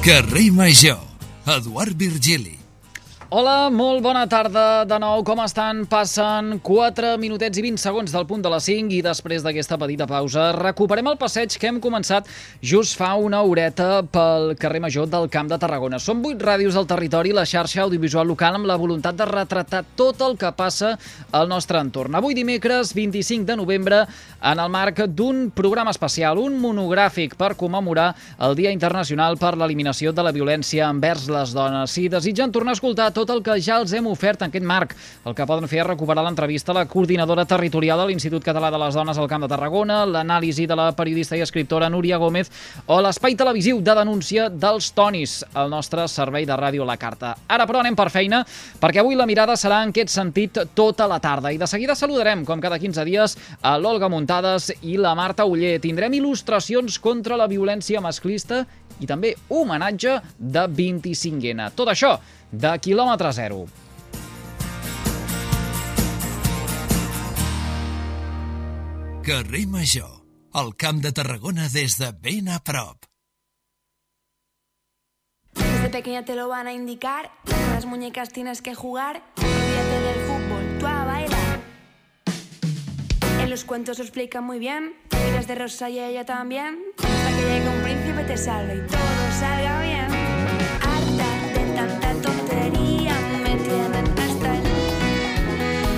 Carrer Major, Eduard Virgili. Hola, molt bona tarda de nou, com estan? Passen 4 minutets i 20 segons del punt de les 5 i després d'aquesta petita pausa recuperem el passeig que hem començat just fa una horeta pel carrer Major del Camp de Tarragona. Són 8 ràdios al territori, la xarxa audiovisual local amb la voluntat de retratar tot el que passa al nostre entorn. Avui dimecres 25 de novembre, en el marc d'un programa especial, un monogràfic per commemorar el Dia Internacional per l'Eliminació de la Violència envers les dones. Si desitgen tornar a escoltar tot el que ja els hem ofert en aquest marc, el que poden fer és recuperar l'entrevista a la coordinadora territorial de l'Institut Català de les Dones al Camp de Tarragona, l'anàlisi de la periodista i escriptora Núria Gómez o l'espai televisiu de denúncia dels Tonis, el nostre servei de ràdio a la carta. Ara, però, anem per feina, perquè avui la mirada serà en aquest sentit tota la tarda. I de seguida saludarem, com cada 15 dies, a l'Olga Muntades i la Marta Oller. Tindrem il·lustracions contra la violència masclista i també homenatge de 25N. Tot això de quilòmetre zero. Carrer Major, el Camp de Tarragona des de ben a prop. Desde pequeña te lo van a indicar, con las muñecas tienes que jugar, olvídate del fútbol, tú a bailar. En los cuentos lo explican muy bien, miras de rosa y ella también, hasta que llegue un príncipe te salve y todo salga bien. Harta de tanta tontería, me tienen hasta el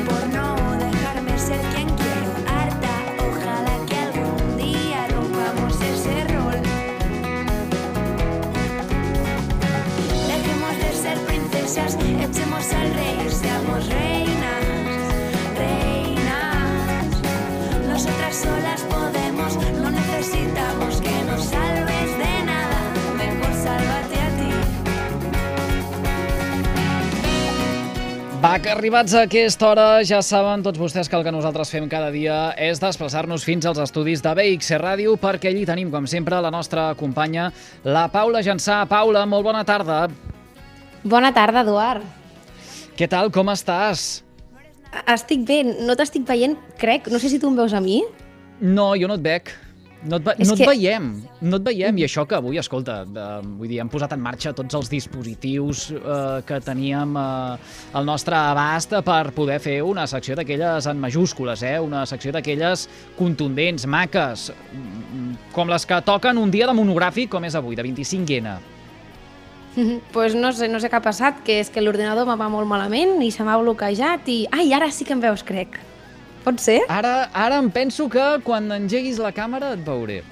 por no dejarme ser quien quiero. Harta, ojalá que algún día rompamos ese rol. Dejemos de ser princesas, echemos al rey y seamos reinas, reinas. Nosotras solas podemos, no necesitamos que nos salves de nada, mejor sálvate a ti. Va, que arribats a aquesta hora ja saben tots vostès que el que nosaltres fem cada dia és desplaçar-nos fins als estudis de BXC Ràdio, perquè allí tenim, com sempre, la nostra companya, la Paula Jansà. Paula, molt bona tarda. Bona tarda, Eduard. Què tal, com estàs? Estic bé, no t'estic veient, crec. No sé si tu em veus a mi. No, jo no et veig. No et veiem, i això que avui, escolta, vull dir, hem posat en marxa tots els dispositius que teníem al nostre abast per poder fer una secció d'aquelles en majúscules, una secció d'aquelles contundents, maques, com les que toquen un dia de monogràfic com és avui, de 25N. Pues no sé què ha passat, que és que l'ordinador me va molt malament i se m'ha bloquejat i... Ai, ara sí que em veus, crec. Pot ser? Ara em penso que quan engeguis la càmera et veuré.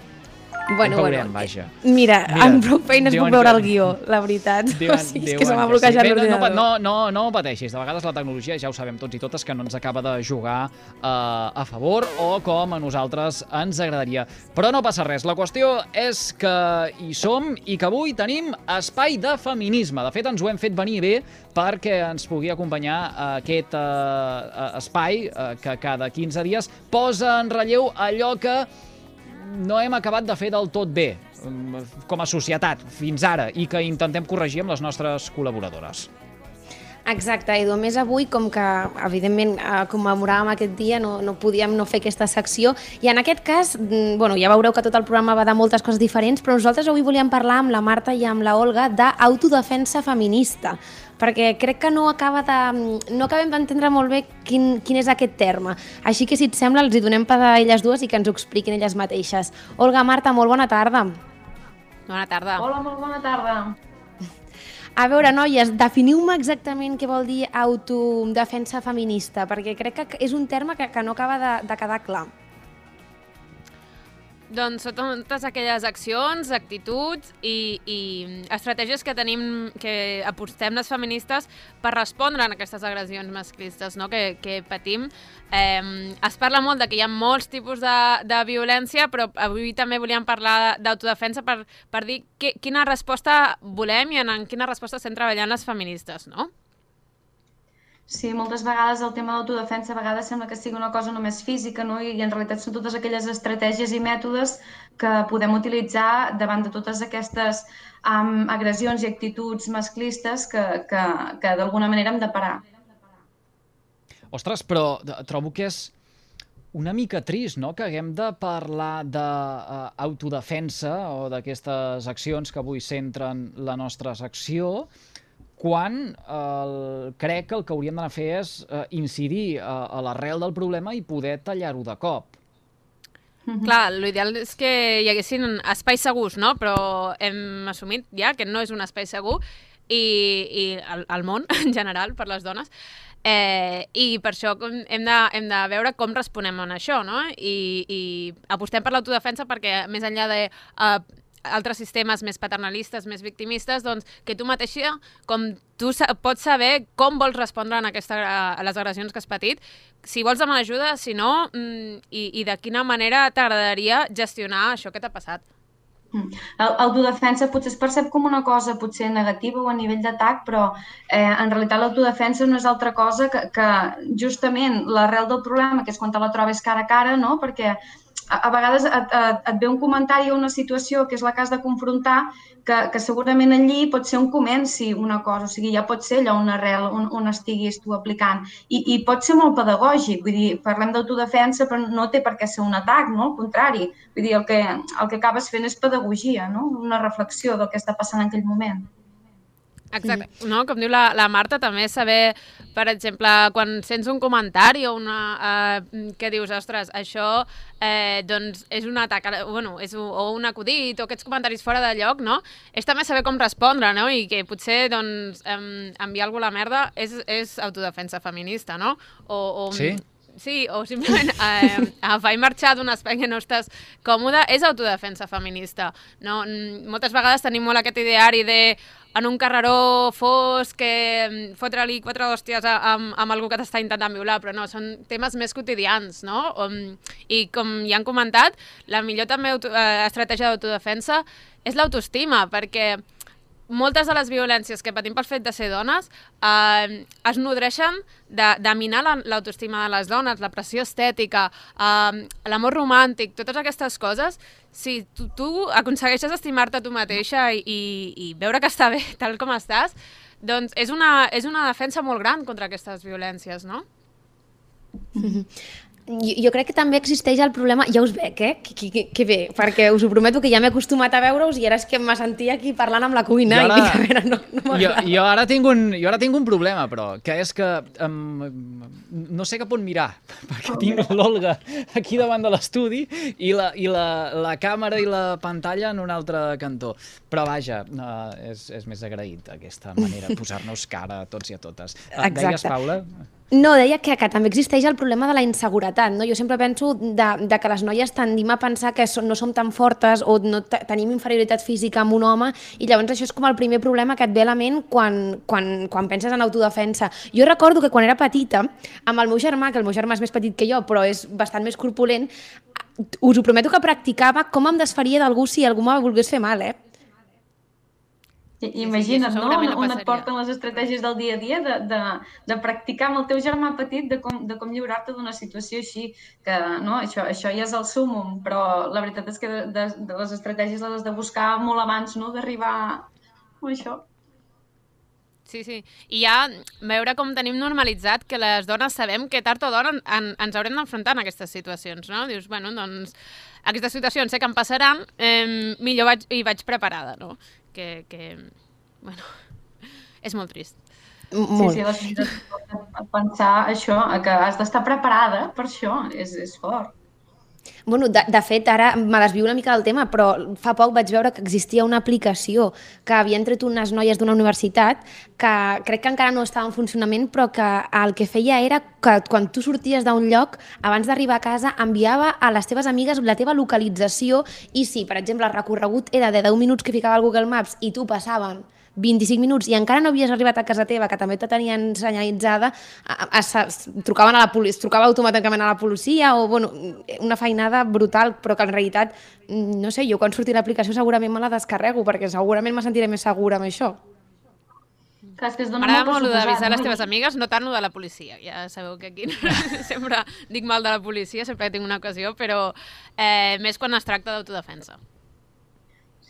Bueno, vaja. Mira, amb prou feines puc veure el guió, la veritat. O sigui, és que se m'ha bloquejat l'ordinador. No pateixis, de vegades la tecnologia, ja ho sabem tots i totes, que no ens acaba de jugar a favor o com a nosaltres ens agradaria. Però no passa res, la qüestió és que hi som i que avui tenim espai de feminisme. De fet, ens ho hem fet venir bé perquè ens pugui acompanyar aquest espai que cada 15 dies posa en relleu allò que no hem acabat de fer del tot bé com a societat fins ara i que intentem corregir amb les nostres col·laboradores. Exacte, Edu. A més, avui, com que, evidentment, commemoràvem aquest dia, no podíem no fer aquesta secció. I en aquest cas, ja veureu que tot el programa va de moltes coses diferents, però nosaltres avui volíem parlar amb la Marta i amb la Olga d'autodefensa feminista, perquè crec que no acabem d'entendre molt bé quin és aquest terme. Així que, si et sembla, els hi donem per a elles dues i que ens ho expliquin elles mateixes. Olga, Marta, molt bona tarda. Bona tarda. Hola, molt bona tarda. A veure, noies, definiu-me exactament què vol dir autodefensa feminista, perquè crec que és un terme que no acaba de quedar clar. Doncs són totes aquelles accions, actituds i estratègies que tenim, que apostem les feministes per respondre a aquestes agressions masclistes, no?, que patim. Es parla molt de que hi ha molts tipus de violència, però avui també volíem parlar d'autodefensa per dir quina resposta volem i en quina resposta estem treballant les feministes, no? Sí, moltes vegades el tema d'autodefensa a vegades sembla que sigui una cosa només física, no? I en realitat són totes aquelles estratègies i mètodes que podem utilitzar davant de totes aquestes agressions i actituds masclistes que d'alguna manera hem de parar. Ostres, però trobo que és una mica trist, no?, que haguem de parlar d'autodefensa o d'aquestes accions que avui centren la nostra secció, quan crec que el que hauríem d'anar a fer és incidir a l'arrel del problema i poder tallar-ho de cop. Clar, l'ideal és que hi haguessin espais segurs, no? Però hem assumit ja que no és un espai segur i el món, en general, per les dones. I per això hem de veure com responem a això, no? I apostem per l'autodefensa perquè, més enllà de altres sistemes més paternalistes, més victimistes, doncs que tu mateixa, com tu pots saber com vols respondre a les agressions que has patit, si vols demanar ajuda, si no, i de quina manera t'agradaria gestionar això que t'ha passat. L'autodefensa potser es percep com una cosa potser negativa o a nivell d'atac, però en realitat l'autodefensa no és altra cosa que justament l'arrel del problema, que és quan te la trobes cara a cara, no? Perquè a vegades et ve un comentari o una situació que és la que has de confrontar, que segurament allí pot ser on comenci una cosa, o sigui, ja pot ser allò una arrel on estiguis tu aplicant. I pot ser molt pedagògic, vull dir, parlem d'autodefensa, però no té per què ser un atac, no? Al contrari, vull dir, el que acabes fent és pedagogia, no? Una reflexió del que està passant en aquell moment. Exacte, no? Com diu la Marta, també saber, per exemple, quan sents un comentari o que dius, ostres, això doncs és un atac, bueno, o un acudit o aquests comentaris fora de lloc, no? És també saber com respondre, no? I que potser doncs, enviar algú a la merda és autodefensa feminista, no? Sí? Sí, o simplement agafar i marxar d'un espai que no estàs còmode és autodefensa feminista. No? Moltes vegades tenim molt aquest ideari de en un carreró fosc que fotre-li 4 hòsties amb algú que t'està intentant violar, però no, són temes més quotidians, no? I com ja han comentat, la millor també estratègia d'autodefensa és l'autoestima, perquè moltes de les violències que patim pel fet de ser dones es nodreixen de minar l'autoestima de les dones, la pressió estètica, l'amor romàntic, totes aquestes coses. Si tu aconsegueixes estimar-te tu mateixa i veure que està bé tal com estàs, doncs és una defensa molt gran contra aquestes violències, no? Jo crec que també existeix el problema, ja us veig, que bé, perquè us ho prometo que ja m'he acostumat a veure-us i ara és que em sentia aquí parlant amb la cuina i dic, a veure, no m'agrada. Jo ara tinc un problema, però, que és que no sé cap on mirar, perquè tinc l'Olga aquí davant de l'estudi i la càmera i la pantalla en un altre cantó. Però vaja, és més agraït aquesta manera de posar-nos cara a tots i a totes. Deies, Paula? No, deia que també existeix el problema de la inseguretat, no? Jo sempre penso de que les noies tendim a pensar que no som tan fortes o no tenim inferioritat física amb un home i llavors això és com el primer problema que et ve a la ment quan penses en autodefensa. Jo recordo que quan era petita, amb el meu germà, que el meu germà és més petit que jo però és bastant més corpulent, us ho prometo que practicava com em desfaria d'algú si algú me volgués fer mal, Imagina't, no? On et porten les estratègies del dia a dia de practicar amb el teu germà petit de com lliurar-te d'una situació així, que no, això ja és el súmmum, però la veritat és que de les estratègies les has de buscar molt abans, no?, d'arribar a això. Sí. I ja veure com tenim normalitzat que les dones sabem que tard o d'hora ens haurem d'enfrontar en aquestes situacions, no? Dius, bueno, doncs aquestes situacions sé que em passaran, millor vaig preparada, no? Que bueno, és molt trist. Molt. Sí, pensar això, que has d'estar preparada per això, és fort. Bueno, de fet, ara me desvio una mica del tema, però fa poc vaig veure que existia una aplicació que havien tret unes noies d'una universitat que crec que encara no estava en funcionament, però que el que feia era que quan tu sorties d'un lloc, abans d'arribar a casa, enviava a les teves amigues la teva localització i si, per exemple, el recorregut era de 10 minuts que ficava al Google Maps i tu passaven 25 minuts i encara no havies arribat a casa teva, que també te tenien senyalitzada, trucaven a la policia, trucava automàticament a la policia o, bueno, una feinada brutal, però que en realitat, no sé, jo quan surti l'aplicació segurament me la descarrego, perquè segurament me sentiré més segura amb això. M'agrada molt d'avisar les teves amigues, no tant de la policia. Ja sabeu que aquí sempre dic mal de la policia, sempre tinc una ocasió, però més quan es tracta d'autodefensa.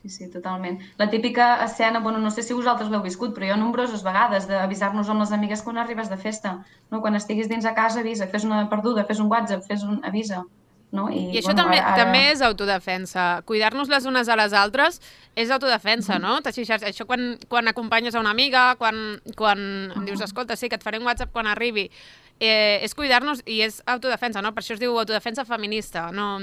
Sí, totalment. La típica escena, bueno, no sé si vosaltres l'heu viscut, però jo nombroses vegades d'avisar-nos amb les amigues quan arribes de festa, no? Quan estiguis dins a casa, avisa, fes una perduda, fes un WhatsApp, avisa, no? I això també és autodefensa. Cuidar-nos les unes a les altres és autodefensa, no? Això quan acompanyes a una amiga, quan dius, escolta, sí, que et faré un WhatsApp quan arribi, és cuidar-nos i és autodefensa, no? Per això es diu autodefensa feminista, no?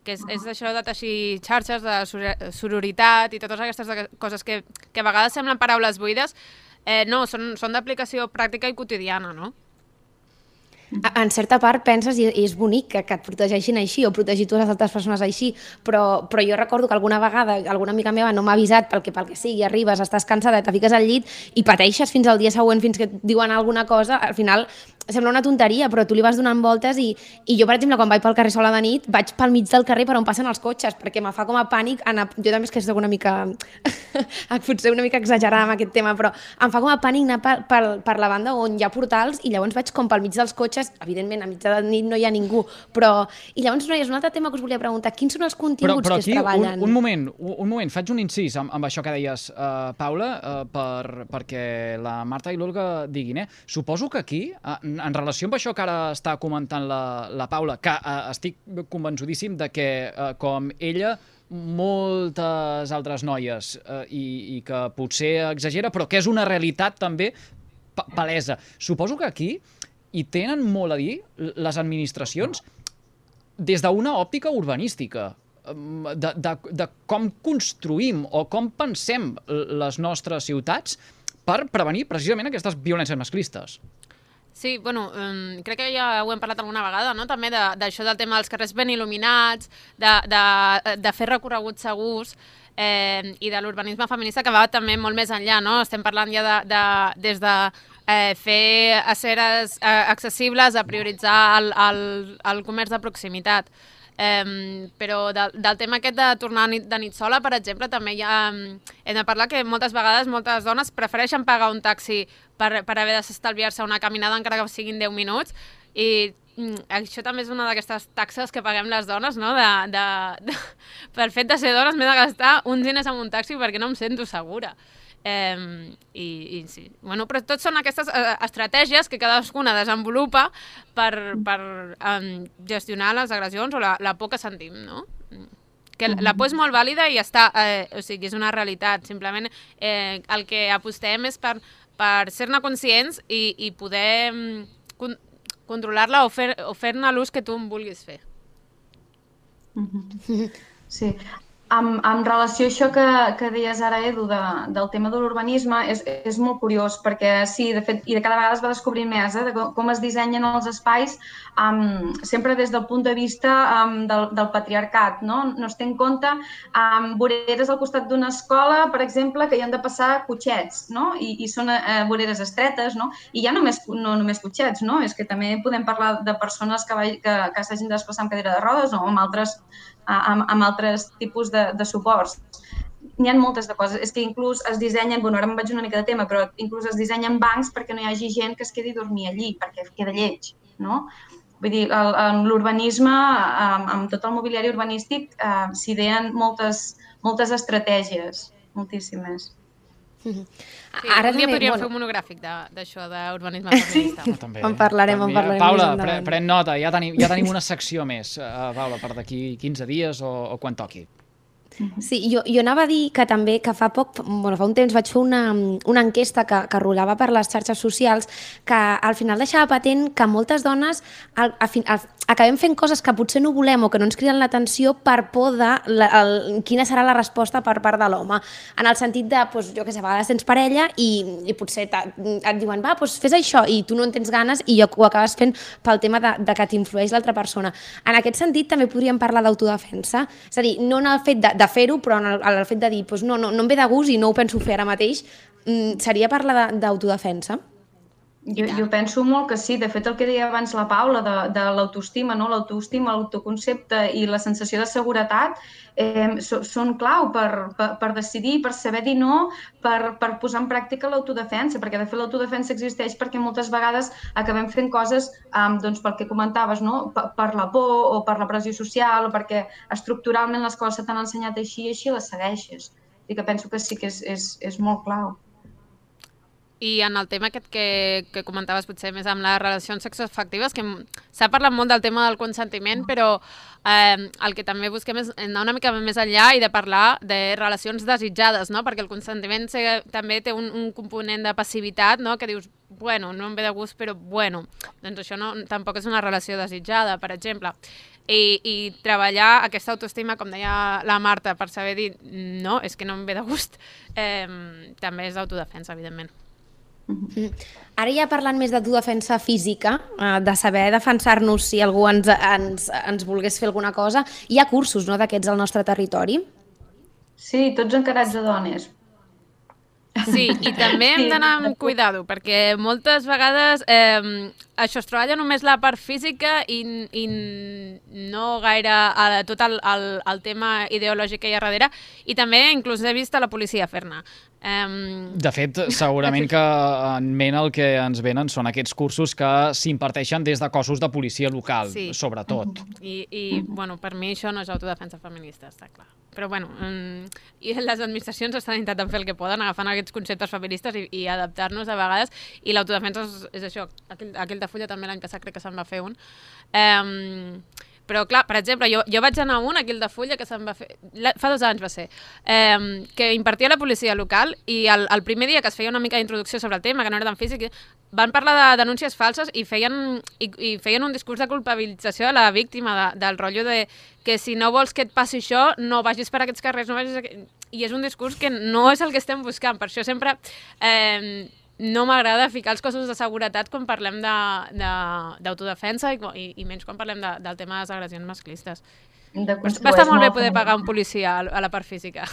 Que és això de teixir xarxes de sororitat i totes aquestes coses que a vegades semblen paraules buides, no, són d'aplicació pràctica i quotidiana, no? En certa part penses, i és bonic que et protegeixin així o protegir tu les altres persones així, però jo recordo que alguna vegada alguna amiga meva no m'ha avisat pel que sigui, arribes, estàs cansada, te fiques al llit i pateixes fins al dia següent, fins que et diuen alguna cosa, al final sembla una tonteria, però tu li vas donant voltes i jo, per exemple, quan vaig pel carrer sola de nit, vaig pel mig del carrer per on passen els cotxes, perquè me fa com a pànic anar... Jo també és que soc una mica... potser una mica exagerada amb aquest tema, però em fa com a pànic anar per la banda on hi ha portals i llavors vaig com pel mig dels cotxes, evidentment, a mitja de nit no hi ha ningú, però... I llavors, noies, un altre tema que us volia preguntar, quins són els continguts que es treballen? Un moment, faig un incís amb això que deies, Paula, perquè la Marta i l'Olga diguin, suposo que aquí, en relació amb això que ara està comentant la Paula, que estic convençudíssim de que, com ella, moltes altres noies, i que potser exagera, però que és una realitat també palesa. Suposo que aquí hi tenen molt a dir les administracions des d'una òptica urbanística, de com construïm o com pensem les nostres ciutats per prevenir precisament aquestes violències masclistes. Sí, bueno, crec que ja ho hem parlat alguna vegada, no? També d'això del tema dels carrers ben il·luminats, de fer recorreguts segurs i de l'urbanisme feminista que va també molt més enllà, no? Estem parlant ja des de fer aceres accessibles, a prioritzar el comerç de proximitat. Però del tema aquest de tornar de nit sola, per exemple, també hem de parlar que moltes vegades moltes dones prefereixen pagar un taxi per haver d'estalviar-se una caminada encara que siguin 10 minuts i això també és una d'aquestes taxes que paguem les dones, no? Per fet de ser dones m'he de gastar uns diners en un taxi perquè no em sento segura. I sí. Bueno, però tot són aquestes estratègies que cadascuna desenvolupa per gestionar les agressions o la por que sentim, no? Que la por és molt vàlida i està, o sigui, és una realitat. Simplement el que apostem és per ser-ne conscients i poder controlar-la o fer-ne l'ús que tu en vulguis fer. Sí. En relació a això que deies ara, Edu, del tema de l'urbanisme, és molt curiós perquè sí, de fet, i de cada vegada es va descobrint més de com es dissenyen els espais sempre des del punt de vista del patriarcat, no? No es té en compte voreres al costat d'una escola, per exemple, que hi han de passar cotxets, no? I són voreres estretes, no? I ja no només cotxets, no? És que també podem parlar de persones que s'hagin de desplaçar amb cadira de rodes o amb altres tipus de suports. N'hi ha moltes de coses. És que inclús es dissenyen, bueno, ara em vaig una mica de tema, però inclús es dissenyen bancs perquè no hi hagi gent que es quedi a dormir allí, perquè queda lleig, no? Vull dir, l'urbanisme, amb tot el mobiliari urbanístic, s'ideen moltes estratègies, moltíssimes. Sí, un dia podríem fer un monogràfic d'això, d'urbanisme feminista. En parlarem. Paula, pren nota, ja tenim una secció més, Paula, per d'aquí 15 dies o quan toqui. Sí, jo anava a dir que també que fa un temps vaig fer una enquesta que rolava per les xarxes socials que al final deixava patent que moltes dones acabem fent coses que potser no volem o que no ens criden l'atenció per por de quina serà la resposta per part de l'home. En el sentit de, jo què sé, a vegades tens parella i potser et diuen, va, fes això, i tu no en tens ganes i ho acabes fent pel tema de que t'influeix l'altra persona. En aquest sentit també podríem parlar d'autodefensa, és a dir, no en el fet de fer-ho, però en el fet de dir, no em ve de gust i no ho penso fer ara mateix, seria parlar d'autodefensa? Jo penso molt que sí. De fet, el que deia abans la Paula de l'autoestima, no? L'autoestima, l'autoconcepte i la sensació de seguretat són clau per decidir, per saber dir no, per posar en pràctica l'autodefensa, perquè de fet l'autodefensa existeix perquè moltes vegades acabem fent coses doncs, pel que comentaves, no? Per la por o per la pressió social o perquè estructuralment les coses se t'han ensenyat així i així les segueixes. I que penso que sí que és molt clau. I en el tema aquest que comentaves potser més amb les relacions sexoafectives, que s'ha parlat molt del tema del consentiment, però el que també busquem és anar una mica més enllà i de parlar de relacions desitjades, no? Perquè el consentiment també té un component de passivitat, no? Que dius, bueno, no em ve de gust, però bueno, doncs això tampoc és una relació desitjada, per exemple. I treballar aquesta autoestima, com deia la Marta, per saber dir no, és que no em ve de gust, també és autodefensa, evidentment. Ara ja parlant més d'autodefensa física, de saber defensar-nos si algú ens volgués fer alguna cosa, hi ha cursos, no, d'aquests al nostre territori? Sí, tots encarats a dones. Sí, i també hem d'anar amb cuidado, perquè moltes vegades això es treballa només la part física i no gaire tot el tema ideològic que hi ha darrere, i també inclús he vist a la policia fer-ne. De fet, segurament que en ment el que ens venen són aquests cursos que s'imparteixen des de cossos de policia local, sí, sobretot. I bueno, per mi això no és autodefensa feminista, està clar. Però bueno, i les administracions estan intentant fer el que poden, agafant aquests conceptes feministes i adaptar-nos a vegades, i l'autodefensa és això. Aquell de Fulla també l'any passat crec que se'n va fer un. Però clar, per exemple, jo vaig anar a un, aquí al de Fulla, que se'n va fer, fa 2 anys va ser, que impartia la policia local, i el primer dia que es feia una mica d'introducció sobre el tema, que no era tan físic, van parlar de denúncies falses i feien un discurs de culpabilització de la víctima, del rotllo de que si no vols que et passi això, no vagis per aquests carrers, no vagis... I és un discurs que no és el que estem buscant, per això sempre... no m'agrada ficar els cossos de seguretat quan parlem d'autodefensa i menys quan parlem del tema de les agressions masclistes. Va estar molt bé poder pagar un policia a la part física.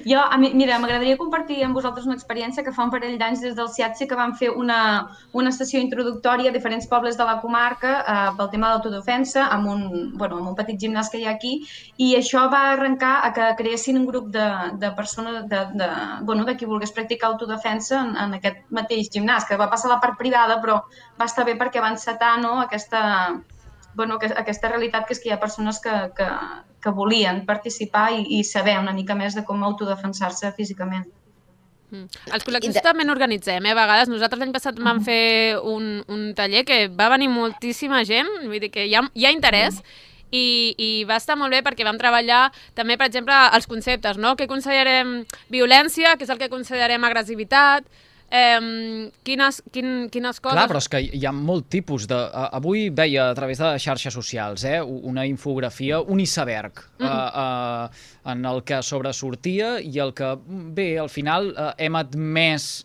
Mira, m'agradaria compartir amb vosaltres una experiència que fa un parell d'anys des del CIATSE, que vam fer una sessió introductòria a diferents pobles de la comarca pel tema d'autodefensa amb un petit gimnàs que hi ha aquí, i això va arrencar a que creessin un grup de persones de qui volgués practicar autodefensa en aquest mateix gimnàs, que va passar a la part privada, però va estar bé perquè va encetar, no, aquesta realitat, que és que hi ha persones que volien participar i saber una mica més de com autodefensar-se físicament. Els col·lectius també n'organitzem, a vegades. Nosaltres l'any passat vam fer un taller que va venir moltíssima gent, vull dir que hi ha interès, i va estar molt bé perquè vam treballar també, per exemple, els conceptes, no? Què considerem violència, què és el que considerem agressivitat, quines coses... Clar, però és que hi ha molt tipus de... Avui veia a través de xarxes socials una infografia, un iceberg, en el que sobresortia i el que, bé, al final hem admès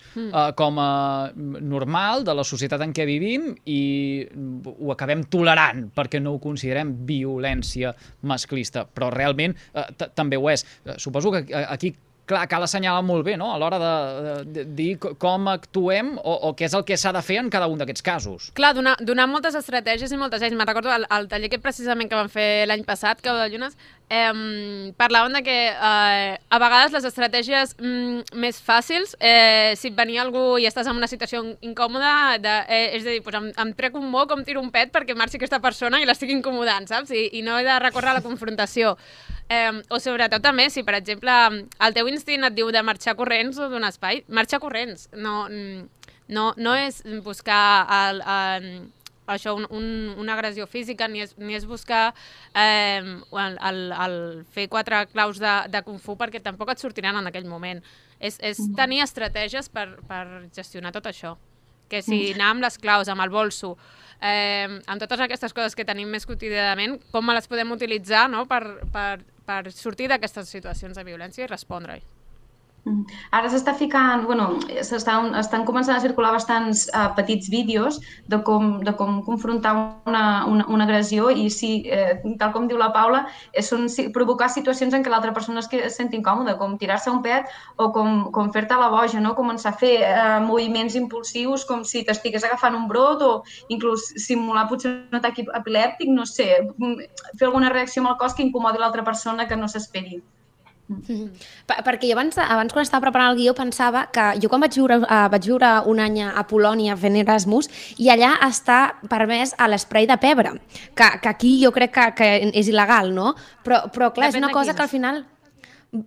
com a normal de la societat en què vivim i ho acabem tolerant perquè no ho considerem violència masclista, però realment també ho és. Suposo que aquí cal assenyalar molt bé, no?, a l'hora de dir com actuem o què és el que s'ha de fer en cada un d'aquests casos. Clar, donar moltes estratègies i moltes eines. Me'n recordo el taller que precisament que vam fer l'any passat, Cau de Llunes, parlaven de que a vegades les estratègies més fàcils, si et venia algú i estàs en una situació incòmoda, és a dir, em trec un moc o em tiro un pet perquè marxi aquesta persona i l'estic incomodant, saps? I no he de recórrer a la confrontació. O sobretot també, si per exemple el teu instint et diu de marxar corrents o donar espai, marxar corrents. No és buscar això, una agressió física, ni és buscar el fer 4 claus de Kung Fu, perquè tampoc et sortiran en aquell moment. És tenir estratègies per gestionar tot això. Que si anar amb les claus, amb el bolso, amb totes aquestes coses que tenim més quotidianament, com les podem utilitzar, no?, per sortir d'aquestes situacions de violència i respondre-hi. Ara s'està ficant, estan començant a circular bastants petits vídeos de com confrontar una agressió i sí, tal com diu la Paula, són provocar situacions en què l'altra persona es senti incòmoda, com tirar-se un pet o com fer-te la boja, no? Començar a fer moviments impulsius com si t'estigués agafant un brot o inclús simular potser un atac epilèptic, no sé, fer alguna reacció amb el cos que incomodi l'altra persona que no s'esperi. Perquè jo abans quan estava preparant el guió pensava que jo quan vaig viure un any a Polònia fent Erasmus i allà està permès a l'esprai de pebre, que aquí jo crec que és il·legal, no? Però clar, és una cosa que al final...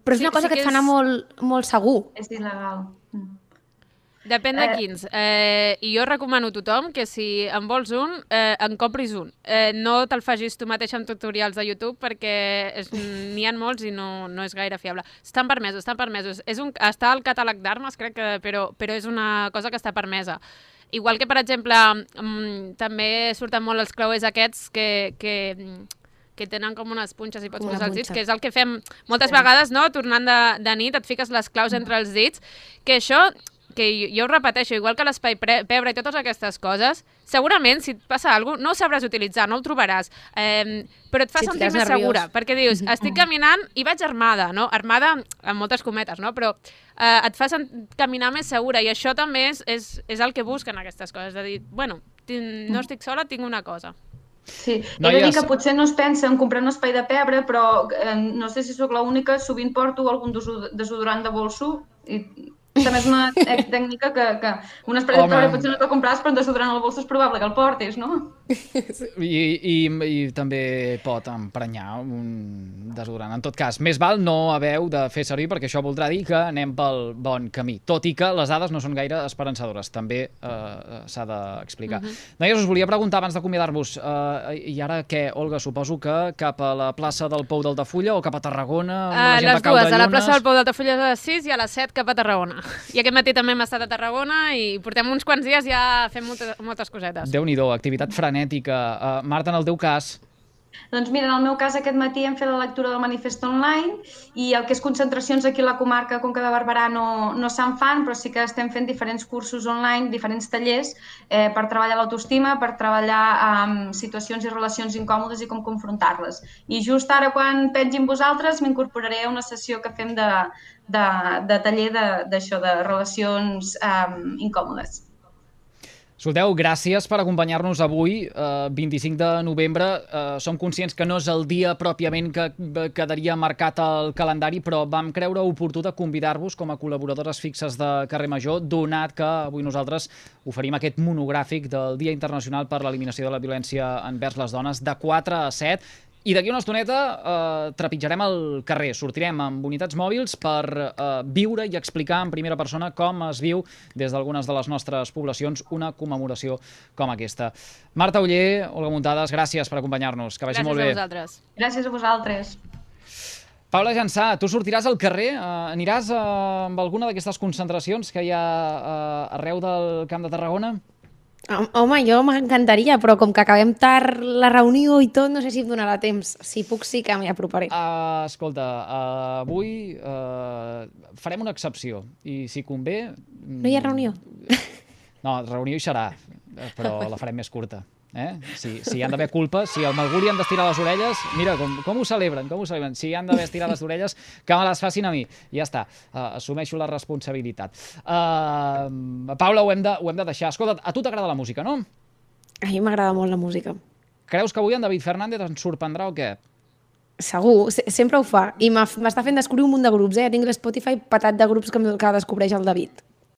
Però és una cosa que et fa anar molt segur. És il·legal. Depèn de quins. I jo recomano a tothom que si en vols un, en compris un. No te'l facis tu mateix amb tutorials de YouTube perquè n'hi ha molts i no és gaire fiable. Estan permesos. Està al catàleg d'armes, crec, però és una cosa que està permesa. Igual que, per exemple, també surten molt els clauers aquests que tenen com unes punxes i pots posar els dits, que és el que fem moltes vegades, no? Tornant de nit, et fiques les claus entre els dits, que això... que jo ho repeteixo, igual que l'espai pebre i totes aquestes coses, segurament si et passa alguna cosa no ho sabràs utilitzar, no el trobaràs, però et fa sentir més segura, perquè dius, estic caminant i vaig armada, no? Armada amb moltes cometes, no? Però et fa caminar més segura i això també és el que busquen aquestes coses, de dir, bueno, no estic sola, tinc una cosa. Sí, he de dir que potser no es pensa en comprar un espai de pebre, però no sé si sóc l'única, sovint porto algun desodorant de bolso i també és una tècnica que un espai de pebre potser no te'l compràs, però un desodorant al bolso és probable que el portis, no? I també pot emprenyar un desodorant. En tot cas, més val no haver-ho de fer servir perquè això voldrà dir que anem pel bon camí. Tot i que les dades no són gaire esperançadores, també s'ha d'explicar. Noies, us volia preguntar abans d'acomiadar-vos, i ara què, Olga? Suposo que cap a la plaça del Pou d'Altafulla o cap a Tarragona? Les dues, a la plaça del Pou d'Altafulla a les 6 i a les 7 cap a Tarragona. I aquest matí també hem estat a Tarragona i portem uns quants dies ja fent moltes cosetes. Déu-n'hi-do, activitat frenètica. Marta, en el teu cas? Doncs mira, en el meu cas aquest matí hem fet la lectura del manifest online i el que és concentracions aquí a la comarca Conca de Barberà no se'n fan, però sí que estem fent diferents cursos online, diferents tallers per treballar l'autoestima, per treballar amb situacions i relacions incòmodes i com confrontar-les. I just ara quan pengin vosaltres m'incorporaré a una sessió que fem de taller d'això, de relacions incòmodes. Escolteu, gràcies per acompanyar-nos avui, 25 de novembre. Som conscients que no és el dia pròpiament que quedaria marcat al calendari, però vam creure oportú de convidar-vos com a col·laboradores fixes de Carrer Major, donat que avui nosaltres oferim aquest monogràfic del Dia Internacional per l'Eliminació de la Violència envers les Dones de 4 a 7. I d'aquí una estoneta trepitjarem el carrer, sortirem amb unitats mòbils per viure i explicar en primera persona com es viu des d'algunes de les nostres poblacions una commemoració com aquesta. Marta Oller, Olga Muntades, gràcies per acompanyar-nos. Que vagi molt bé. Gràcies a vosaltres. Gràcies a vosaltres. Paula Jansà, tu sortiràs al carrer? Aniràs amb alguna d'aquestes concentracions que hi ha arreu del Camp de Tarragona? Home, jo m'encantaria, però com que acabem tard la reunió i tot, no sé si em donarà temps. Si puc, sí que m'hi aproparé. Escolta, avui farem una excepció i si convé... No hi ha reunió? No, reunió hi serà, però la farem més curta. Si hi han d'haver culpes, si al Malguri han d'estirar les orelles, mira com ho celebren, si hi han d'haver estirat les orelles, que me les facin a mi. Ja està, assumeixo la responsabilitat. Paula, ho hem de deixar. Escolta, a tu t'agrada la música, no? A mi m'agrada molt la música. Creus que avui en David Fernández ens sorprendrà o què? Segur, sempre ho fa. I m'està fent descobrir un munt de grups, Ja tinc l'Spotify petat de grups que descobreix el David.